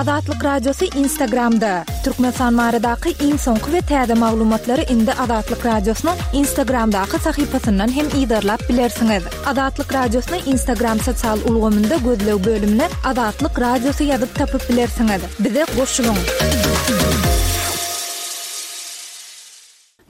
Azatlyk Radiosy Instagramda! Türkmenistan baradaky iň soňky we täze maglumatlary indi Azatlyk Radiosynyň Instagramdaky sahypasyndan hem yzarlap bilersiňiz. Azatlyk Radiosyny Instagram sosial ulgamynda gözleg bölümine Azatlyk Radiosy ýazyp tapyp bilersiňiz. Bize goşulyň!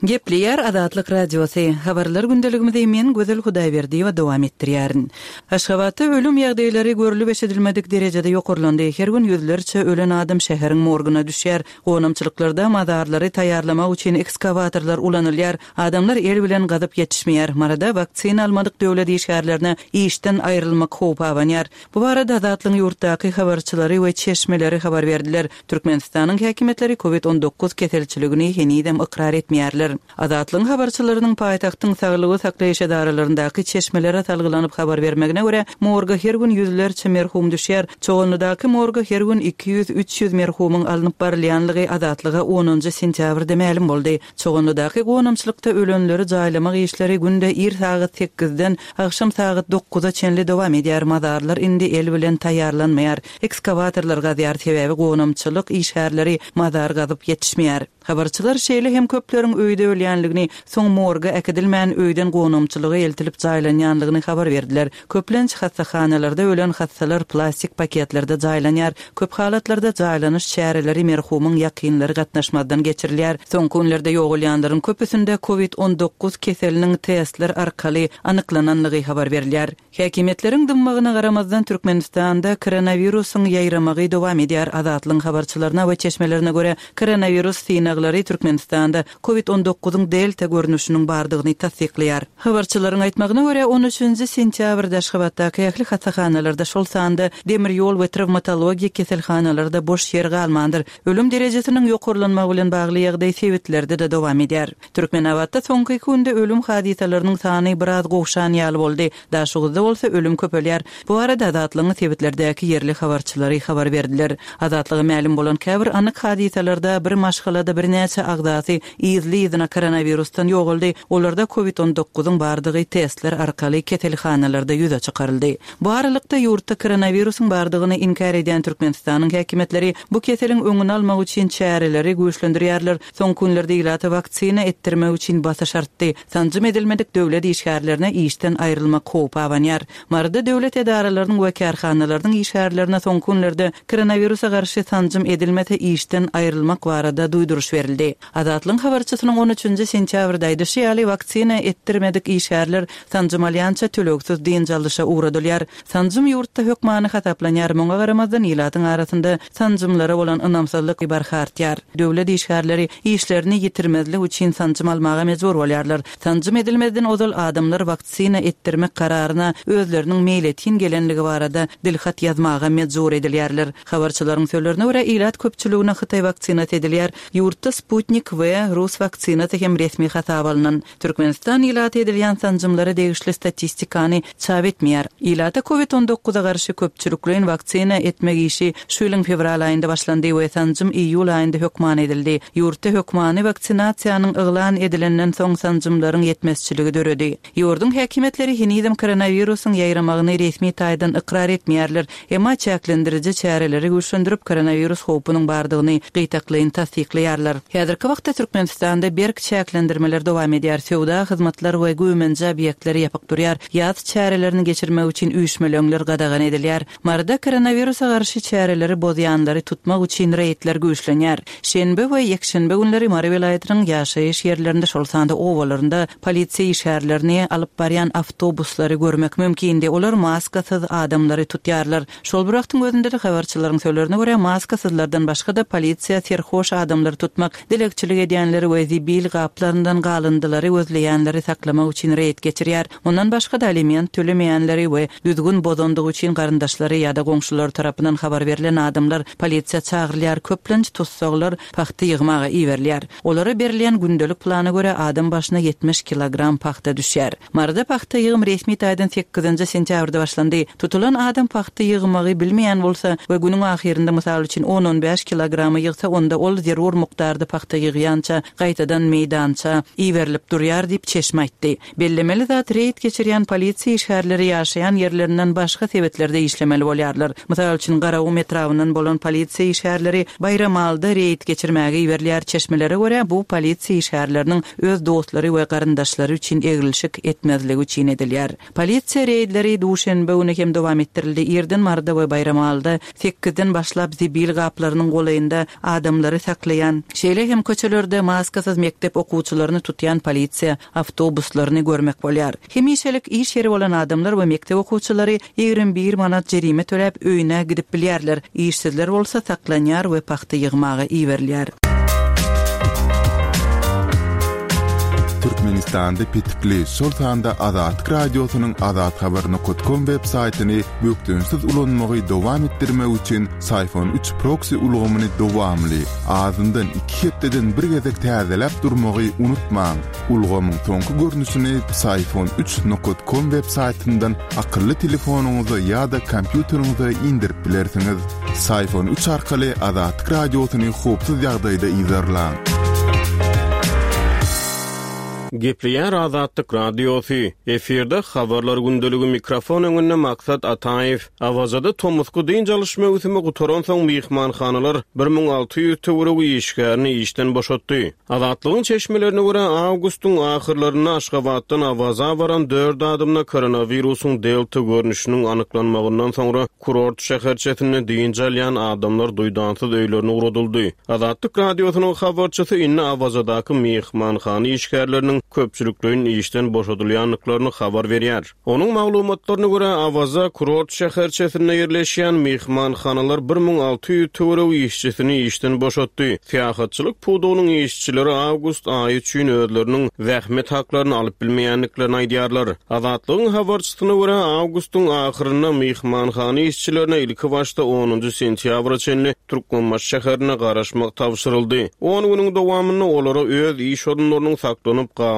Gepleýär Azatlyk Radiosy, Habarlar gündeligimizi men Gözel Hudaýberdiýewa dowam etdirýärin. Aşgabatda ölüm ýagdaýlary görlüp-eşidilmedik derejede ýokarlandy. Her gün ýüzlerçe ölen adam şäheriň morguna düşýär. Gonamçylyklarda mazarlary taýýarlamak üçin ekskawatorlar ulanylýar. Adamlar el bilen gazyp ýetişmeýär. Maryda waksina almadyk döwlet işgärlerine işden aýrylmak howpy abanýar. Bu barada Azatlygyň ýurtdaky habarçylary we çeşmeleri habar berdiler. Türkmenistanyň häkimiýetleri Covid 19 keselçiligini henizem ykrar etmeýärler. Azatlygyň habarçylarynyň paýtagtyň saglygy saklaýyş edaralaryndaky çeşmelere salgylanyp habar bermegine görä, morga her gün ýüzlerçe merhum düşýär. Çoganlydaky morga her gün 200-300 merhumyň alnyp barylýanlygy Azatlyga onunjy sentýabrda mälim boldy. Çoganlydaky gonamçylykda ölenleri jaýlamak işleri günde ir sagat sekizden agşam sagat dokuza çenli dowam edýär, mazarlar indi el bilen taýýarlanmaýar, ekskawatorlar gazýar, sebäbi gonamçylyk işgärleri mazar gazyp ýetişmeýär. Habarçylar şeýle hem köpleriň öýde ölýänligini, soň morga äkidilmän öýden gonamçylyga eltilip jaýlanýanlygyny habar berdiler. Köplenç hassahanalarda ölen hassalar plastik paketlerde jaýlanýar. Köp halatlarda jaýlanyş çäreleri merhumyň ýakynlary gatnaşmazdan geçirilýär. Soňky günlerde ýogalýanlaryň köpüsinde Covid 19 keseliniň testler arkaly anyklananlygy habar berilýär. Häkimiýetleriň dymmagyna garamazdan, Türkmenistanda koronawirusyň ýaýramagy dowam edýär. Azatlygyň habarçylaryna we çeşmelerine görä, koronawirus synaglary Türkmenistanda Covid on dokuzyň delta görnüşiniň bardygyny tassyklaýar. Habarçylaryň aýtmagyna görä, on üçünji sentýabrda Aşgabatdaky ähli hassahanalarda, şol sanda demir ýol we trawmatologiýa keselhanalarda boş ýer galmandyr. Ölüm derejesiniň ýokarlanmagy bilen bagly ýagdaý sebitlerde-de dowam edýär. Türkmenabatda soňky iki günde ölüm hadysalarynyň sany biraz gowşan ýaly boldy. Daşoguzda bolsa ölüm köpelýär. Bu barada Azatlygyň sebitlerdäki ýerli habarçylary habar berdiler. Azatlyga mälim bolan käbir anyk hadysalarda bir maşgalada birnäçe agzasy yzly-yzyna koronawirusdan ýogaldy, olarda covid on dokuzyň bardygy testler arkaly keselhanalarda ýüze çykaryldy. Bu aralykda, ýurtda koronawirusyň bardygyny inkär edýän Türkmenistanyň häkimiýetleri bu keseliň öňüni almak üçin çäreleri güýçlendirýärler. Soňky günlerde ilata waksina etdirmek üçin basyş artdy. Sanjym edilmedik döwlet işgärlerine işden aýrylmak howpy abanýar. Maryda döwlet edaralarynyň we kärhanalarynyň işgärlerine soňky günlerde koronawirusa garşy sanjym edilmese işden aýrylmak barada duýduryş berildi. Azatlygyň habarçysynyň on üçünji sentýabrda aýdyşy ýaly, waksina etdirmedik işgärler sanjym alýança tölegsiz dynç alyşa ugradylýar. Sanjym ýurtda hökmany hasaplanýar, muňa garamazdan ilatyň arasynda sanjymlara bolan ynamsyzlyk barha artýar. Döwlet işgärleri işlerini ýitirmezlik üçin sanjym almaga mejbur bolýarlar. Sanjym edilmezden ozal adamlar waksina etdirmek kararyna özleriniň meýletin gelenligi barada dilhat ýazmaga mejbur edilýärler. Habarçylaryň sözlerine görä, ilat köpçüligine hytaý waksinasy edilýär. Ýurtda Sputnik V rus waksinasy hem resmi hasaba alnan. Türkmenistan ilata edilýän sanjymlara degişli statistikany çap etmeýär. Ilata Covid on dokuza garşy köpçülikleýin waksina etmek işi şu ýylyň fewral aýynda başlandy we sanjym iýul aýynda hökmany edildi. Ýurtda hökmany waksinasiýanyň yglan edilenden soň sanjymlaryň ýetmezçiligi döredi. Ýurduň häkimiýetleri henizem koronawirusyň ýaýramagyny resmi taýdan ykrar etmeýärler. Emma çäklendiriji çäreleri güýçlendirip, koronawirus howpunyň bardygyny gytaklaýyn tassyklaýarlar. Häzirki wagtda Türkmenistanda berk çäklendirmeler dowam edýär, söwda, hyzmatlar we güýmenje obýektleri ýapyk durýar, ýaz çärelerini geçirmek üçin üýşmeleňler gadagan edilýär. Maryda koronawirusa garşy çäreleri bozýanlary tutmak üçin reýdler güýçlenýär. Şenbe we ýekşenbe günleri Mary welaýatynyň ýaşaýyş ýerlerinde, şol sanda obalarynda polisiýa işgärlerini alyp barýan awtobuslary görmek mümkindi. Olar maskasyz adamlary tutýarlar. Şol bir wagtyň özünde-de, habarçylaryň sözlerine görä, maskasyzlardan başga-da, polisiýa serhoş adamlary tutmak, dilegçilik edýänleri we zibil gaplaryndan galyndylary gözleýänleri saklamak üçin reýd geçirýär. Mundan başga-da, aliment tölemeýänleri we düzgün bozandygy üçin garyndaşlary ýa-da goňşulary tarapyndan habar berlen adamlar polisiýa çagyrylýar, köplenç tussaglar pagta ýygmaga iberilýär. Olara berilýän gündelik plana görä, adam başyna 70 kilogram pagta düşýär. Maryda pagta ýygym resmi taýdan sekizinji sentýabrda başlandy. Tutulan adam pagta ýygmagy bilmeýän bolsa we günüň ahyrynda, mysal üçin, on-on bäş kilogramy ýygsa, onda ol zerur mukdarda pagta ýygýança gaýtadan. meýdançadan meýdança iberilip durýar diýip, çeşme aýtdy. Bellemeli zat, reýd geçirýän polisiýa işgärleri ýaşaýan ýerlerinden başga sebitlerde işlemeli bolýarlar. Mysal üçin, Garagum etrabyndan bolan polisiýa işgärleri Baýramalyda reýd geçirmäge iberilýär. Çeşmelere görä, bu polisiýa işgärleriniň öz dostlary we garyndaşlary üçin eglişik etmezligi üçin edilýär. Polisiýa reýdleri duşenbe güni hem dowam etdirildi. Irden Maryda we Baýramalyda sekizden başlap zibil gaplarynyň golaýynda adamlary saklaýan, şeýle hem köçelerde maskasyz mekdep okuwçylaryny tutýan polisiýa awtobuslaryny görmek bolýar. Hemişelik iş ýeri bolan adamlar we mekdep okuwçylary 21 manat jerime töläp öýüne gidip bilýärler, işsizler bolsa saklanýar we pagta ýygmaga iberilýär. Türkmenistanda petikli, şol sanda Azatlyk Radiosynyň azathabar nokat kom web saýtyny bökdençsiz ulanmagy dowam etdirmek üçin Syfon üç proksi ulgamyny dowamly, azyndan iki hepdeden bir gezek täzeläp durmagy unutmaň. Ulgamyň soňky görnüşini Psiphon üç nokat kom web saýtyndan akylly telefonyňyza ýa-da kompýuteriňize indirip bilersiňiz. Psiphon üç arkaly Azatlyk Radiosyny howpsuz ýagdaýda yzarlaň. Gepleýär Azatlyk Radiosy, Efirde Habarlar gündeligi mikrofon öňünde Maksat Ataýew. Awazada tomusky dynç alyş möwsümi gutaransoň myhmanhanalar 1600 töweregi işgärini işden boşatdy. Azatlygyň çeşmelerine görä, awgustyň ahyrlarynda Aşgabatdan Awaza baran dört adamda koronawirusyň delta görnüşiniň anyklanmagyndan soňra kurort şäherçesinde dynç alýan adamlar duýdansyz öýlerine ugradyldy. Azatlyk Radiosynyň habarçysy indi Awazadaky myhmanhana işgärleriniň köpçülikleýin işden boşadylýandyklaryny habar berýär. Onuň maglumatlaryna görä, Awaza kurort şäherçesinde ýerleşýän myhmanhanalar 1600 töweregi işçisini işden boşatdy. Syýahatçylyk pudagynyň işçileri awgust aýy üçin özleriniň zähmet haklaryny alyp bilmeýändiklerini aýdýarlar. Azatlygyň habarçysyna görä, awgustyň ahyrynda myhmanhana işçilerine ilkibaşda onunjy sentýabra çenli Türkmenbaşy şäherinde garaşmak tabşyryldy. On günüň dowamynda olara öz iş orunlarynyň saklanyp galjakdygy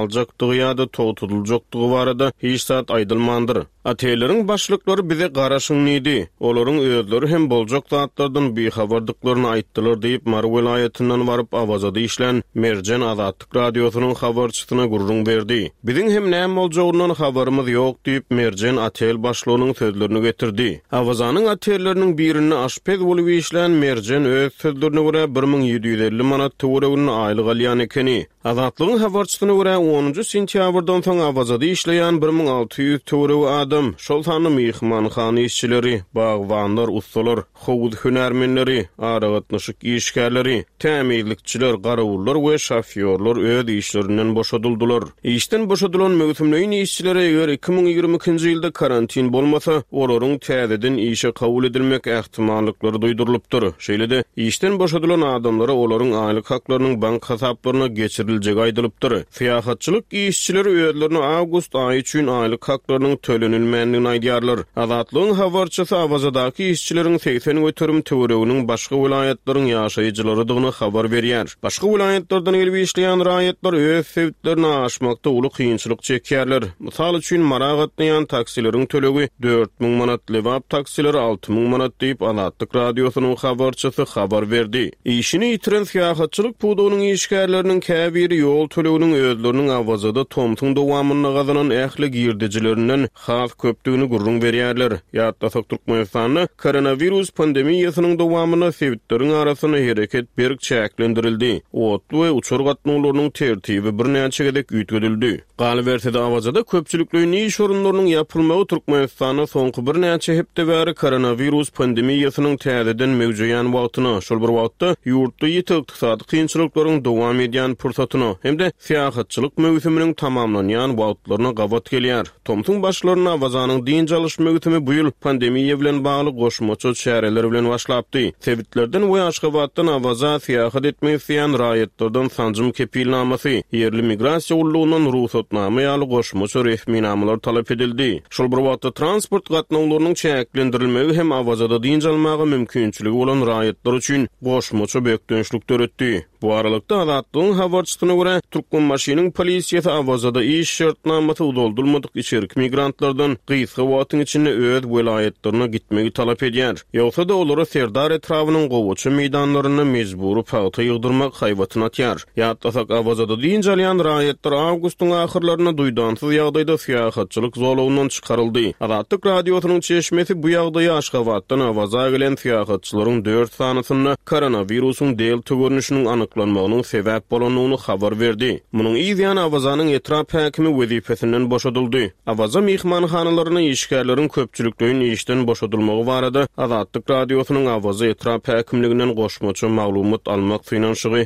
ýa-da togtadyljakdygy barada hiç zat aýdylmandyr. Otelleriň başlyklary bize garaşyň diýdi. Olaryň özleri hem boljak zatlardan bihabardyklaryny aýtdylar diýip, Mary welaýatyndan baryp, Awazada işlän Merjen Azatlyk Radiosynyň habarçysyna gürrüň berdi. Biziň hem näme boljagyndan habarymyz ýok diýip, Merjen otel başlygynyň sözlerini getirdi. Awazanyň otelleriniň birinde aşpez bolup işlän Merjen öz sözlerine görä, 1750 manat töwereginde aýlyk alýan ekeni. Azatlygyň habarçysyna görä, onunjy sentýabrdan soň Awazada işleýän 1600 töweregi adam, şol sanda myhmanhana işçileri, bagbanlar, ussalar, howuz hünärmenleri, aragatnaşyk işgärleri, tämizlikçiler, garawullar we şofýorlar öz işlerinden boşadyldylar. Işden boşadylan möwsümleýin işçilere eger 2022-nji ýylda karantin bolmasa, olaryň täzeden işe kabul edilmek ähtimallyklary duýdurylypdyr. Şeýle-de, işden boşadylan adamlara olaryň aýlyk haklarynyň bank hasaplaryna geçiriljegi aýdylypdyr. Syýahatçylyk işçileri özlerine awgust aýy üçin aýlyk haklarynyň tölenilmändigini aýdýarlar. Azatlygyň habarçysy Awazadaky işçileriň 80% töwereginiň başga welaýatlaryň ýaşaýjylarydygyny habar berýär. Başga welaýatlardan gelip işleýän raýatlar öz sebitlerine aşmakda uly kynçylyk çekýärler. Mysal üçin, Mara gatnaýan taksileriň tölegi 4000 manat, Lebap taksileri 6000 manat diýip, Azatlyk Radiosynyň habarçysy habar berdi. Işini ýitiren syýahatçylyk pudagynyň işgärleriniň käbiri ýol töleginiň özleriniň Awazada tomsuň dowamynda gazanan ähli girdejilerinden has köpdügini gürrüň berýärler. Ýatlasak, Türkmenistanda koronawirus pandemiýasynyň dowamynda sebitleriň arasynda hereket berk çäklendirildi, otly we uçar gatnawlarynyň tertibi birnäçe gezek üýtgedildi. Galyberse-de, Awazada köpçülikleýin iş orunlarynyň ýapylmagy Türkmenistanda soňky birnäçe hepde bäri koronawirus pandemiýasynyň täzeden möwjeýän wagtyna, şol bir wagtda, ýurtda ýiti ykdysady kynçylyklaryň dowam edýän pursatyna hem-de syýahatçylyk möwsüminiň tamamlanýan wagtlaryna gabat gelýär. Tomsuň başlarynda Awazanyň dynç alyş möwsümi bu ýyl pandemiýa bilen bagly goşmaça çäreler bilen başlapdy. Sebitlerden we Aşgabatdan Awaza syýahat etmek isleýän raýatlardan sanjym kepilnamasy, ýerli migrasiýa gullugyndan rugsatnama ýaly goşmaça resminamalar talap edildi. Şol bir wagtda, transport gatnawlarynyň çäklendirilmegi hem Awazada dynç almaga mümkinçiligi bolan raýatlar üçin goşmaça bökdençlik döretdi. Bu aralykda, Azatlygyň habarçysyna görä, Türkmenbaşynyň polisiýasy Awazada iş şertnamasy uzaldylmadyk içerki migrantlardan. raýatlardan gysga wagtyň içinde öz welaýatlaryna gitmegi talap edýär. Ýogsa-da, olara Serdar etrabynyň gowaça meýdanlarynda mejbury pagta ýygdyrmak haýbatyny atýar. Ýatlasak, Awazada dynç alýan raýatlar awgustyň ahyrlarynda duýdansyz ýagdaýda syýahatçylyk zolagyndan çykaryldy. Azatlyk Radiosynyň çeşmesi bu ýagdaýy Aşgabatdan Awaza gelen syýahatçylaryň dört sanysynda koronawirusyň delta görnüşiniň anyklanmagynyň sebäp bolandygyny habar berdi. Munuň yz ýany Awazanyň etrap häkimi wezipesinden boşadyldy. Awaza myhmanhanalarynda işgärleriň köpçülikleýin işden boşadylmagy barada Azatlyk Radiosynyň Awaza etrap häkimliginden goşmaça maglumat almak synanyşygy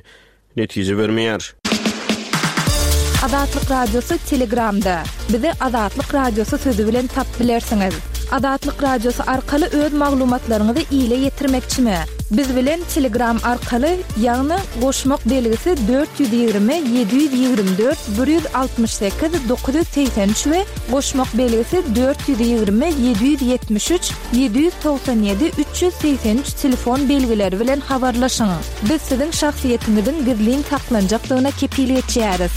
netije bermeýär. Azatlyk Radiosy Telegramda. Bizi Azatlyk Radiosy sözi bilen tapyp bilersiňiz. Azatlyk Radiosy arkaly öz maglumatlaryňyzy ile ýetirmekçimi? Biz bilen Telegram arkaly, ýagny goşmak belgisi 420 724 168 983 we goşmak belgisi 420 773 797 383 telefon belgileri bilen habarlaşyň. Biz siziň şahsyýetiňiziň gizlin saklanjakdygyna kepil geçýäris.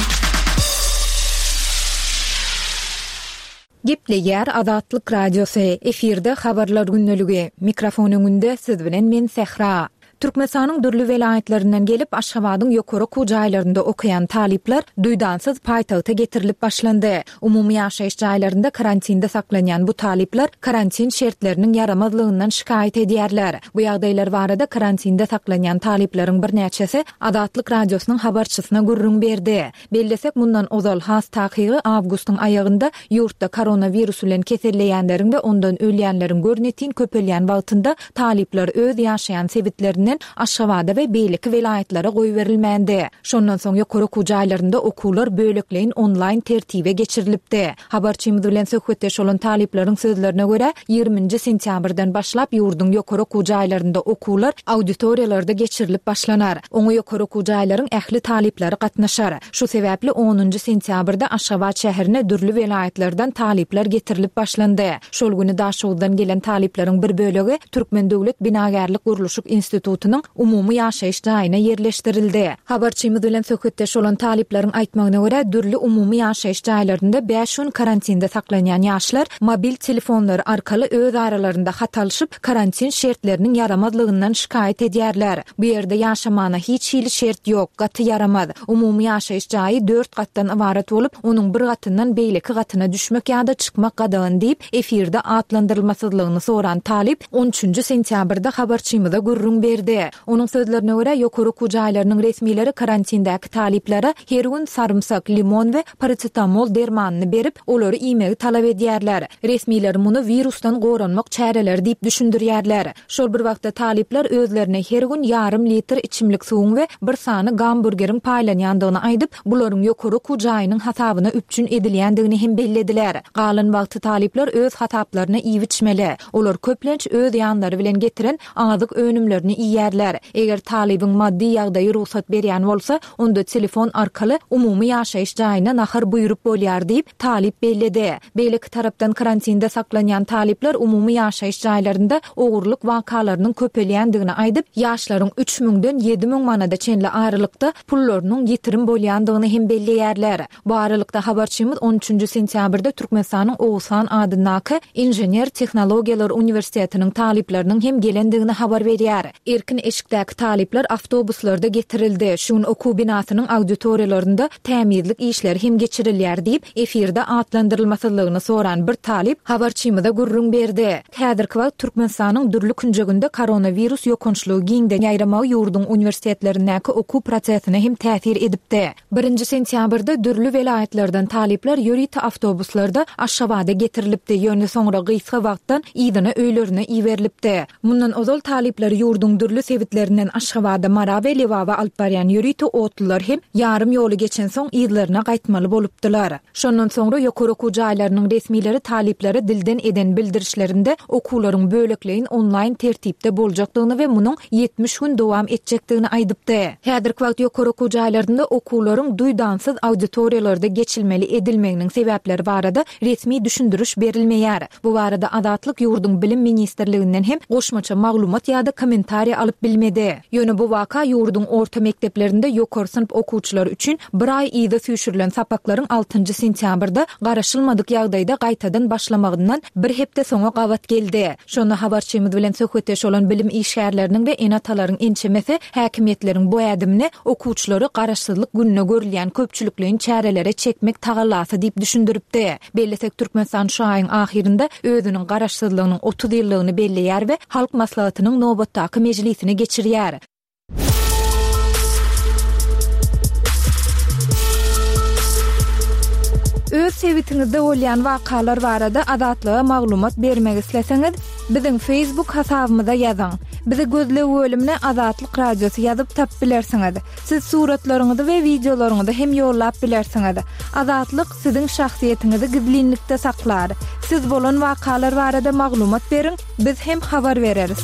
Gepleýär Azatlyk Radiosy, efirde Habarlar gündeligi. Mikrofon öňünde siz bilen men Sähra. Türkmenistanyň dürli welaýatlaryndan gelip, Aşgabadyň ýokary okuw jaýlarynda okaýan talyplar duýdansyz paýtagta getirilip başlandy. Umumy ýaşaýyş jaýlarynda karantinde saklanýan bu talyplar karantin şertleriniň ýaramazlygyndan şikaýat edýärler. Bu ýagdaýlar barada karantinde saklanýan talyplaryň birnäçesi Azatlyk Radiosynyň habarçysyna gürrüň berdi. Bellesek, mundan ozal, has takygy, awgustyň aýagynda ýurtda koronawirus bilen keselleýänleriň we ondan ölýänleriň görnetin köpelýän wagtynda talyplar öz ýaşaýan sebitlerinden Aşgabada we beýleki welaýatlara goýberilmändi. Şondan soň ýokary okuw jaýlarynda okuwlar bölekleýin onlaýn tertibe geçirilipdi. Habarçymyz bilen söhbetdeş bolan talyplaryň sözlerine görä, ýigriminji sentýabrdan başlap ýurduň ýokary okuw jaýlarynda okuwlar auditoriýalarda geçirilip başlanar. Oňa ýokary okuw jaýlaryň ähli talyplary gatnaşar. Şu sebäpli onunjy sentýabrda Aşgabat şäherine dürli welaýatlardan talyplar getirilip başlandy. Şol güni Daşoguzdan gelen talyplaryň bir bölegi Türkmen döwlet binagärlik-gurluşyk institutynyň umumy ýaşaýyş jaýyna ýerleşdirildi. Habarçymyz bilen söhbetdeş bolan talyplaryň aýtmagyna görä, dürli umumy ýaşaýyş jaýlarynda bäş gün karantinde saklanýan ýaşlar mobil telefonlary arkaly öz aralarynda hat alşyp, karantin şertleriniň ýaramazlygyndan şikaýat edýärler. Bu ýerde ýaşamana hiç hili şert ýok, gaty ýaramaz. Umumy ýaşaýyş jaýy dört gatdan ybarat bolup, onuň bir gatyndan beýleki gatyna düşmek ýa-da çykmak gadagan diýip, efirde atlandyrylmasyzlygyny soran talyp on üçünji sentýabrda habarçymyza gürrüň berdi. Onuň sözlerine görä, ýokary okuw jaýlarynyň resmileri karantindäki talyplara her gün sarymsak, limon we parasetamol dermanyny berip, olary iýmegi talap edýärler. Resmiler muny wirusdan goranmak çäreleri diýip düşündirýärler. Şol bir wagtda talyplar özlerine her gün ýarym litr içimlik suwuň we bir sany gamburgeriň paýlanýandygyny aýdyp, bularyň ýokary okuw jaýynyň hasabyna üpjün edilýändigini hem bellediler. Galan wagty talyplar öz hasaplaryna iýip-içmeli. Olar köplenç öz ýanlary bilen getiren azyk önümlerini iýýärler. Eger talybyň maddy ýagdaýy rugsat berýän bolsa, onda telefon arkaly umumy ýaşaýyş jaýyna nahar buýrup bolýar diýip, talyp belledi. Beýleki tarapdan karantinde saklanýan talyplar umumy ýaşaýyş jaýlarynda ogurlyk wakalarynyň köpelýändigini aýdyp, ýaşlaryň üç müňden 7000 manada çenli aralykda pullarynyň ýitirim bolýandygyny hem belleýärler. Bu aralykda habarçymyz on üçünji sentýabrda Türkmenistanyň Oguzhan adyndaky Inžener-tehnologiýalar uniwersitetiniň talyplarynyň hem gelendigini habar berýär. Erkin eşikdäki talyplar awtobuslarda getirildi. Şu gün okuw binasynyň auditoriýalarynda tämizlik işleri hem geçirilýär diýip, efirde atlandyrylmasyzlygyny soran bir talyp habarçymyza gürrüň berdi. Häzirki wagt Türkmenistanyň dürli künjeginde koronawirus ýokançlygy giňden ýaýramagy ýurduň uniwersitetlerindäki okuw prosesine hem täsir edipdi. Birinji sentýabrda dürli welaýatlardan talyplar ýörite awtobuslarda Aşgabada getirilipdi, ýöne soňra gysga wagtdan yzyna öýlerine iberilipdi. Mundan ozal talyplary ýurduň dürli sebitlerinden Aşgabada, Mara we Lebaba alyp barýan ýörite otlular hem ýarym ýoly geçensoň yzlaryna gaýtmaly bolupdylar. Şondan soňra ýokary okuw jaýlarynyň resmileri talyplara dilden eden bildirişlerinde okuwlaryň bölekleýin onlaýn tertipde boljakdygyny we munuň 70 gün dowam etjekdigini aýdypdy. Häzirki wagt ýokary okuw jaýlarynda okuwlaryň duýdansyz auditoriýalarda geçilmeli edilmeginiň sebäpleri barada resmi düşündiriş berilmeýär. Bu barada Azatlyk ýurduň Bilim ministrliginden hem goşmaça maglumat ýa-da kommentariýa. alyp bilmedi. Ýöne bu waka ýurduň orta mekdeplerinde ýokary synp okuwçylary üçin bir aý yza süýşürilen sapaklaryň altynjy sentýabrda garaşylmadyk ýagdaýda gaýtadan başlamagyndan bir hepde soňa gabat geldi. Şonda habarçymyz bilen söhbetdeş bolan bilim işgärleriniň we ene-atalaryň ençemesi häkimiýetleriň bu ädimini okuwçylary Garaşsyzlyk gününe görülýän köpçülikleýin çärelere çekmek tagallasy diýip düşündiripdi. Bellesek, Türkmenistan şu aýyň ahyrynda özüniň Garaşsyzlygynyň 30 ýyllygyny belleýär we Halk Maslahatynyň nobatdaky mejlisini geçirýär. Öz sebitiňizde bolýan wakalar barada Azatlyga maglumat bermek isleseňiz, biziň Facebook hasabymyza ýazyň. Bizi gözleg bölümine Azatlyk Radiosy ýazyp tapyp bilersiňiz. Siz suratlaryňyzy we wideolaryňyzy hem ýollap bilersiňiz. Azatlyk siziň şahsyýetiňizi gizlinlikde saklar. Siz bolan wakalar barada maglumat beriň, biz hem habar bereris.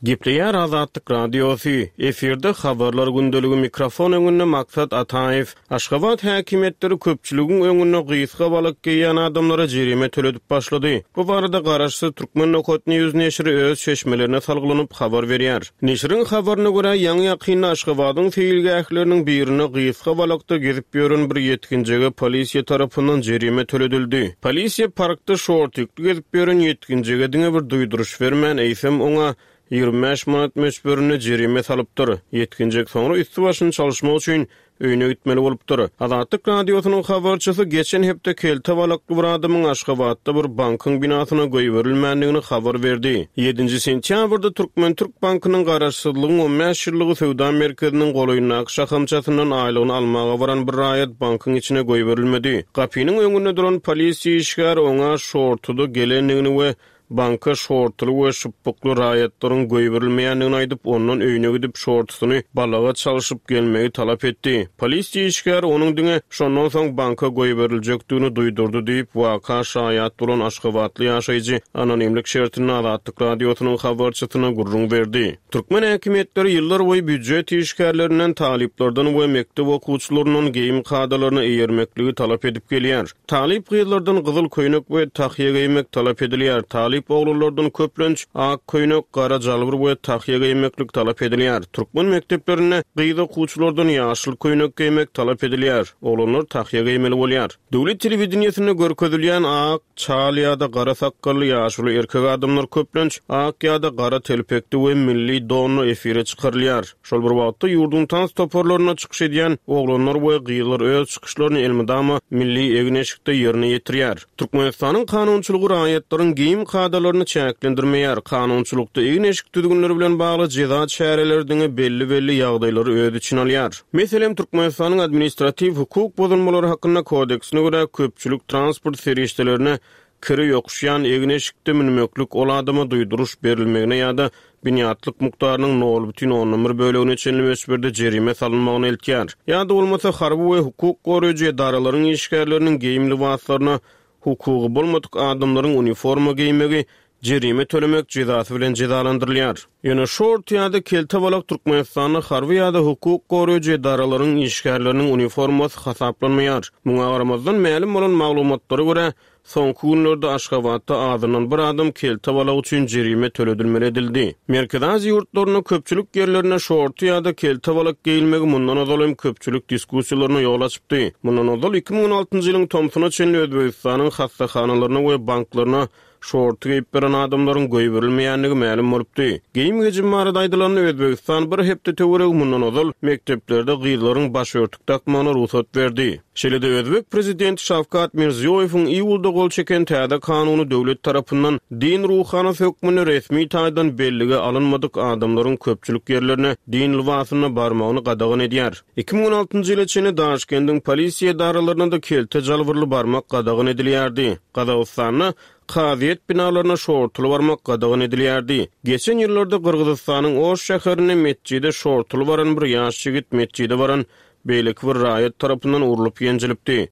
Gepleýär Azatlyk Radiosy, efirde Habarlar gündeligi mikrofon öňünde Maksat Ataýew. Aşgabat häkimiýetleri köpçüligiň öňünde gysga balak geýýän adamlara jerime töledip başlady. Bu barada garaşsyz Turkmen nokat news neşiri öz çeşmelerine salgylanyp habar berýär. Neşiriň habaryna görä, ýaňy-ýakynda Aşgabadyň seýilgähleriniň birinde gysga balakda gezip ýören bir ýetginjege polisiýa tarapyndan jerime töledildi. Polisiýa parkda şortikli gezip ýören ýetginjege diňe bir duýduryş bermän, eýsem, oňa 25 manat möçberinde jerime salypdyr. Ýetginjek soňra üsti-başyny çalyşmak üçin öýüne gitmeli bolupdyr. Azatlyk Radiosynyň habarçysy geçen hepde kelte balakly bir adamyň Aşgabatda bir bankyň binasyna goýberilmändigini habar berdi. Ýedinji sentýabrda Türkmen-türk bankynyň Garaşsyzlygyň on bäş ýyllygy söwda merkeziniň golaýyndaky şahamçasyndan aýlygyny almaga baran bir raýat bankyň içine goýberilmedi. Gapynyň öňünde duran polisiýa işgäri oňa şortuda gelendigini we Banka şortuly we şypbykly raýatlaryň goýberilmeýändigini aýdyp, ondan öýüne gidip şortusyny balaga çalşyp gelmegi talap etdi. Polisiýa işgäri onuň diňe şondan soň banka goýberiljekdigini duýdurdy diýip, waka şaýat bolan aşgabatly ýaşaýjy anonimlik şertinde Azatlyk Radiosynyň habarçysyna gürrüň berdi. Türkmen häkimiýetleri ýyllarboýy býujet işgärlerinden, talyplardan we mekdep okuwçylaryndan geýim kadalaryna eýermekligi talap edip gelýär. Talyp gyzlardan gyzyl köýnek we tahýa geýmek talap edilýär. Talyp oglanlardan köplenç ak köýnek, gara jalbur we tahýa geýmeklik talap edilýär. Türkmen mekdeplerinde gyz okuwçylardan ýaşyl köýnek geýmek talap edilýär. Oglanlar tahýa geýmeli bolýar. Döwlet telewideniýesinde görkezilýän ak, çal ýa-da gara sakgally ýaşuly erkek adamlar köplenç ak ýa-da gara telpekde we milli donda efire çykarylýar. Şol bir wagtda, ýurduň tans toparlarynda çykyş edýän oglanlar we gyzlar öz çykyşlaryny elmydama milli egin-eşikde ýerine ýetirýär. Türkmenistanyň kanunçylygy raýatlaryň geýim kadalaryny çäklendirmeýär. Kanunçylykda egin-eşik düzgünleri bilen bagly jeza çäreleri diňe belli-belli ýagdaýlary öz içine alýar. Meselem, Türkmenistanyň Administratiw hukuk bozulmalary hakynda kodeksine görä, köpçülik transport serişdelerine Kiri ýokuşýan egin-eşikde münmeklik ol adama duýduryş berilmegine ýa-da binýatlyk mukdarynyň nol bütin ondan bir bölegine çenli möçberde jerime salynmagyna eltýär. Ýa-da bolmasa harby we hukuk goraýjy edaralaryň işgärleriniň geýim lybaslaryna hukugy bolmadyk adamlaryň uniforma geýmegi jerime tölemek jezasy bilen jezalandyrylýar. Ýöne şort ýa-da kelte balak Türkmenistanda harby ýa-da hukuk goraýjy edaralaryň işgärleriniň uniformasy hasaplanmaýar. Muňa garamazdan, mälim bolan maglumatlara görä, Soňky günlerde Aşgabatda azyndan bir adam kelte balak üçin jerime töledilmeli edildi. Merkezi Aziýa ýurtlarynda köpçülik ýerlerinde şorty ýa-da kelte balak geýilmegi mundan ozal hem köpçülik diskussiýalaryna ýol açypdy. Mundan ozal 2016-njy ýylyň tomsuna çenli Özbegistanyň hassahanalaryna we banklaryna şorty geýip baran adamlaryň goýberilmeýändigi mälim bolupdy. Geýim-gejim barada aýdylanda, Özbegistan bir hepde töweregi mundan ozal mekdeplerde gyzlaryň başörtük dakmagyna rugsat berdi. Şeýle-de özbek prezidenti Şawkat Mirziýoýewiň iýulda gol çeken täze kanuny döwlet tarapyndan din ruhanysy hökmünde resmi taýdan bellige alynmadyk adamlaryň köpçülik ýerlerine din lybasynda barmagyny gadagan edýär. 2016-njy ýyla çenli Daşkendiň polisiýa edaralaryna-da kelte jalbyrly barmak gadagan edilýärdi. Gazagystanda kazyýet binalaryna şortuly barmak gadagan edilýärdi. Geçen ýyllarda Gyrgyzystanyň Oş şäherinde metjide şortuly baran bir ýaş ýigit metjide baran beýleki bir raýat tarapyndan urlup ýenjilipdi.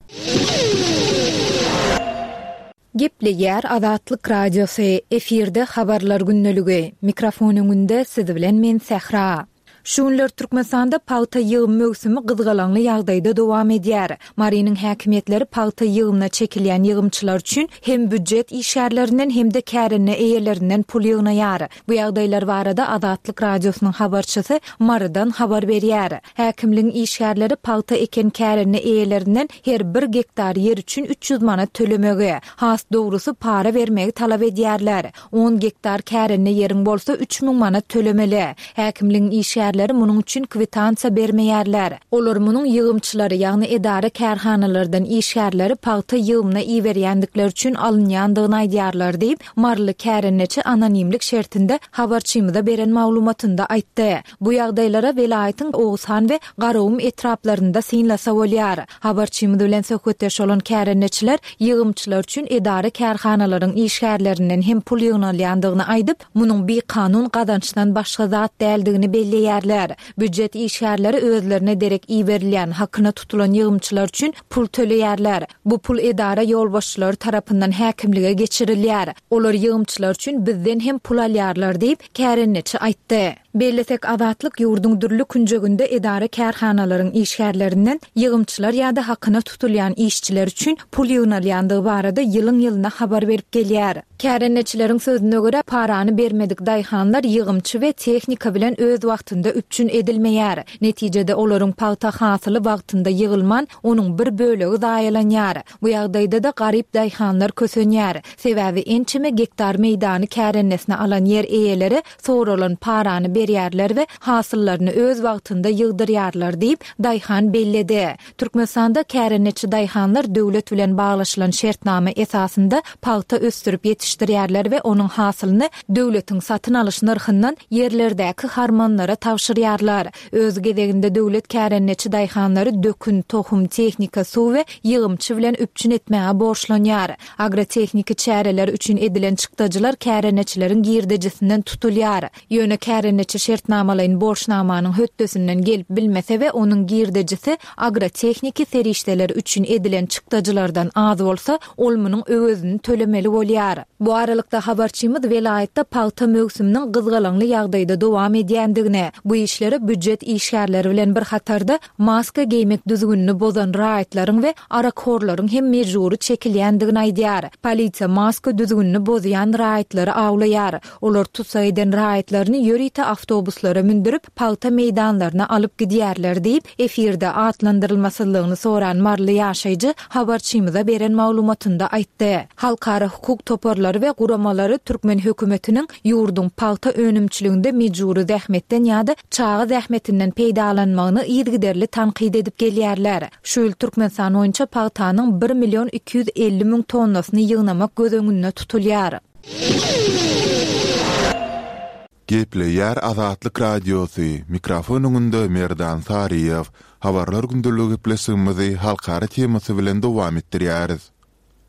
Gepleýär Azatlyk Radiosy, efirde Habarlar gündeligi, mikrofon öňünde siz bilen men Sähra. Şu günler Türkmenistanda pagta ýygym möwsümi gyzgalaňly ýagdaýda dowam edýär. Marynyň häkimiýetleri pagta ýygymyna çekilýän ýygymçylar üçin hem býujet işgärlerinden hem-de kärende eýelerinden pul ýygnaýar. Bu ýagdaýlar barada Azatlyk Radiosynyň habarçysy Marydan habar berýär. Häkimligiň işgärleri pagta eken kärende eýelerinden her bir gektar ýer üçin 300 manat tölemegi, has dogrusy para bermegi talap edýärler. On gektar kärende ýeriň bolsa 3000 manat tölemeli. Häkimligiň işgärleri munuň üçin kwitansiýa bermeýärler. Olar munuň ýygymçylary, ýagny edara-kärhanalardan işgärleri pagta ýygymyna iberýändikleri üçin alynýandygyny aýdýarlar diýip, maryly kärendeçi anonimlik şertinde habarçymyza beren maglumatynda aýtdy. Bu ýagdaýlara welaýatyň Oguzhan we Garagum etraplarynda synlasa bolýar. Habarçymyz bilen söhbetdeş bolan kärendeçiler ýygymçylar üçin edara-kärhanalaryň işgärlerinden hem pul ýygnalýandygyny aýdyp, munuň bikanun gazançdan başga zat däldigini belleýärler. Býujet işgärleri özlerine derek iberilýän, hakyna tutulan ýygymçylar üçin pul töleýärler. Bu pul edara ýolbaşçylary tarapyndan häkimlige geçirilýär. Olar ýygymçylar üçin bizden hem pul alýarlar diýip, kärendeçi aýtdy. Bellesek, Azatlyk ýurduň dürli künjeginde edara-kärhanalaryň işgärlerinden ýygymçylar ýa-da hakyna tutulýan işçiler üçin pul ýygnalýandygy barada ýylyň-ýylyna habar berip gelýär. Kärendeçileriň sözüne görä, parany bermedik daýhanlar ýygymçy we tehnika bilen öz wagtynda üpjün edilmeýär. Netijede, olaryň pagta hasyly wagtynda ýygylman, onuň bir bölegi zaýalanýar. Bu ýagdaýda-da garyp daýhanlar kösenýär. Sebäbi ençeme gektar meýdany kärendesine alan ýer eýeleri soralan parany berýärler we hasyllaryny öz wagtynda ýygdyrýarlar diýip, daýhan belledi. Türkmenistanda kärendeçi daýhanlar döwlet bilen baglaşylan şertnama esasynda pagta ösdürip ýetişdirýärler we onuň hasylyny döwletiň satyn alyş nyrhyndan ýerlerdäki harmanlara tabşyrýarlar. Öz gezeginde döwlet kärendeçi daýhanlary dökün, tohum, tehnika, suw we ýygymçy bilen üpjün etmäge borçlanýar. Agrotehniki çäreler üçin edilen çykdajylar kärendeçileriň girdejisinden tutulýar. Ýöne kärendeçi şertnamalaýyn borçnamanyň hötdesinden gelip bilmese we onuň girdejisi agrotehniki serişdeler üçin edilen çykdajylardan az bolsa, ol munuň öwezini tölemeli bolýar. Bu aralykda, habarçymyz welaýatda pagta möwsüminiň gyzgalaňly ýagdaýda dowam edýändigini, bu işlere býujet işgärleri bilen bir hatarda, maska geýmek düzgünini bozan raýatlaryň we arakhorlaryň hem mejbury çekilýändigini aýdýar. Polisiýa maska düzgünini bozýan raýatlary awlaýar. Olar tussag eden raýatlaryny ýörite awtobuslara mündürip, pagta meýdanlaryna alyp gidýärler diýip, efirde atlandyrylmasyzlygyny soran maryly ýaşaýjy habarçymyza beren maglumatynda aýtdy. Halkara hukuk toparlary we guramalary türkmen hökümetiniň ýurduň pagta önümçiliginde mejbury zähmetden ýa-da çaga zähmetinden peýdalanmagyny yzygiderli tankyt edip gelýärler. Şu ýyl Türkmenistan boýunça pagtanyň bir million 250 müň tonnasyny ýygnamak göz öňünde tutulýar. Gepleýär Azatlyk Radiosy, mikrofon öňünde Merdan Saryýew. Habarlar gündeligi gepleşigimizi halkara temasy bilen dowam etdirýäris.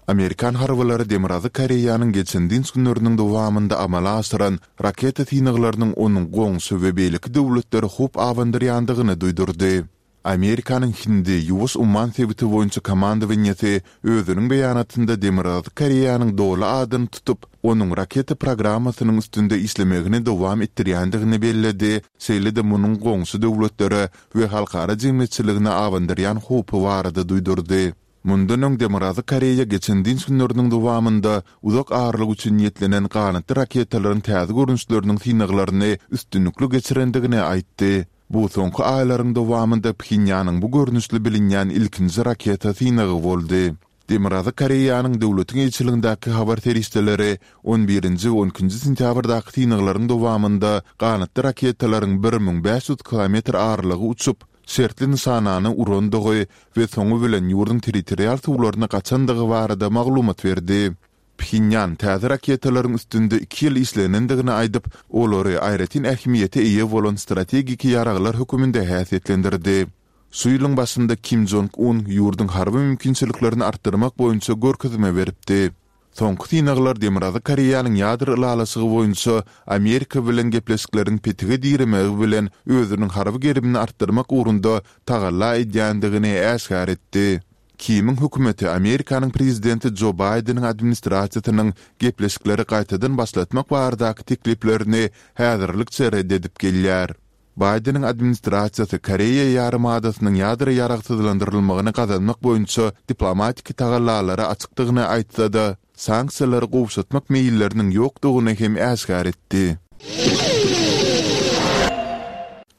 Amerikan harbylary Demirgazyk Koreýanyň geçen dynç günleriniň dowamynda amala aşyran raketa synaglarynyň onuň goňşy we beýleki döwletlere howp abandyrýandygyny duýdurdy. Amerikanyň Hindi, Ýuwaş umman sebiti boýunça komandowaniýesi özüniň beýanatynda Demirgazyk Koreýanyň doly adyny tutup, onuň raketa programmasynyň üstünde işlemegini dowam etdirýändigini belledi, şeýle-de munuň goňşy döwletlere we halkara jemgyýetçiligine abandyrýan howpy barada duýdurdy. Mundan öň Demirgazyk Koreýa geçen dynç günleriniň dowamynda uzak aralyk üçin niýetlenen ganatly raketalaryň täze görnüşleriniň synaglaryny üstünlikli geçirendigini aýtdy. Bu soňky aýlaryň dowamynda Phenýanyň bu görnüşli bilinýän ilkinji raketa synagy boldy. Demirgazyk Koreýanyň döwletiň eýeçiligindäki habar serişdeleri on birinji we on ikinji sentýabrdaky synaglaryň dowamynda ganatly raketalaryň 1500 kilometr aralygy uçup, şertli nyşanany urandygy we soňy bilen ýurduň territorial suwlaryna gaçandygy barada maglumat berdi. Phenýan täze raketalaryň üstünde iki ýyl işlenendigini aýdyp, olary aýratyn ähmiýete eýe bolan strategik ýaraglar höküminde häsiýetlendirdi. Şu ýylyň başynda Kim Jong Un ýurduň harby mümkinçiliklerini artdyrmak boýunça görkezme beripdi. Soňky synaglar Demirgazyk Koreýanyň ýadro ylalaşygy boýunça Amerika bilen gepleşikleriň petige diremegi bilen özüniň harby gerimini artdyrmak ugrunda tagalla edýändigini äşgär etdi. Kimiň hökümeti Amerikanyň prezidenti Jo Baýdeniň administrasiýasynyň gepleşikleri gaýtadan başlatmak baradaky tekliplerini häzirlikçe ret edip gelýär. Baýdeniň administrasiýasy Koreýa ýarymadasynyň ýadro ýaragsyzlandyrylmagyny gazanmak boýunça diplomatiki tagallalara açykdygyny aýtsa-da, sanksiýalary gowşatmak meýilleriniň ýokdugyny hem äşgär etdi.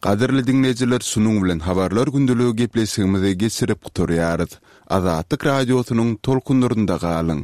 Gadyrly diňleýjiler şunuň bilen Habarlar gündeligi gepleşigimizi geçirip gutarýarys. Azatlyk Radiosynyň tolkunlarynda galyň!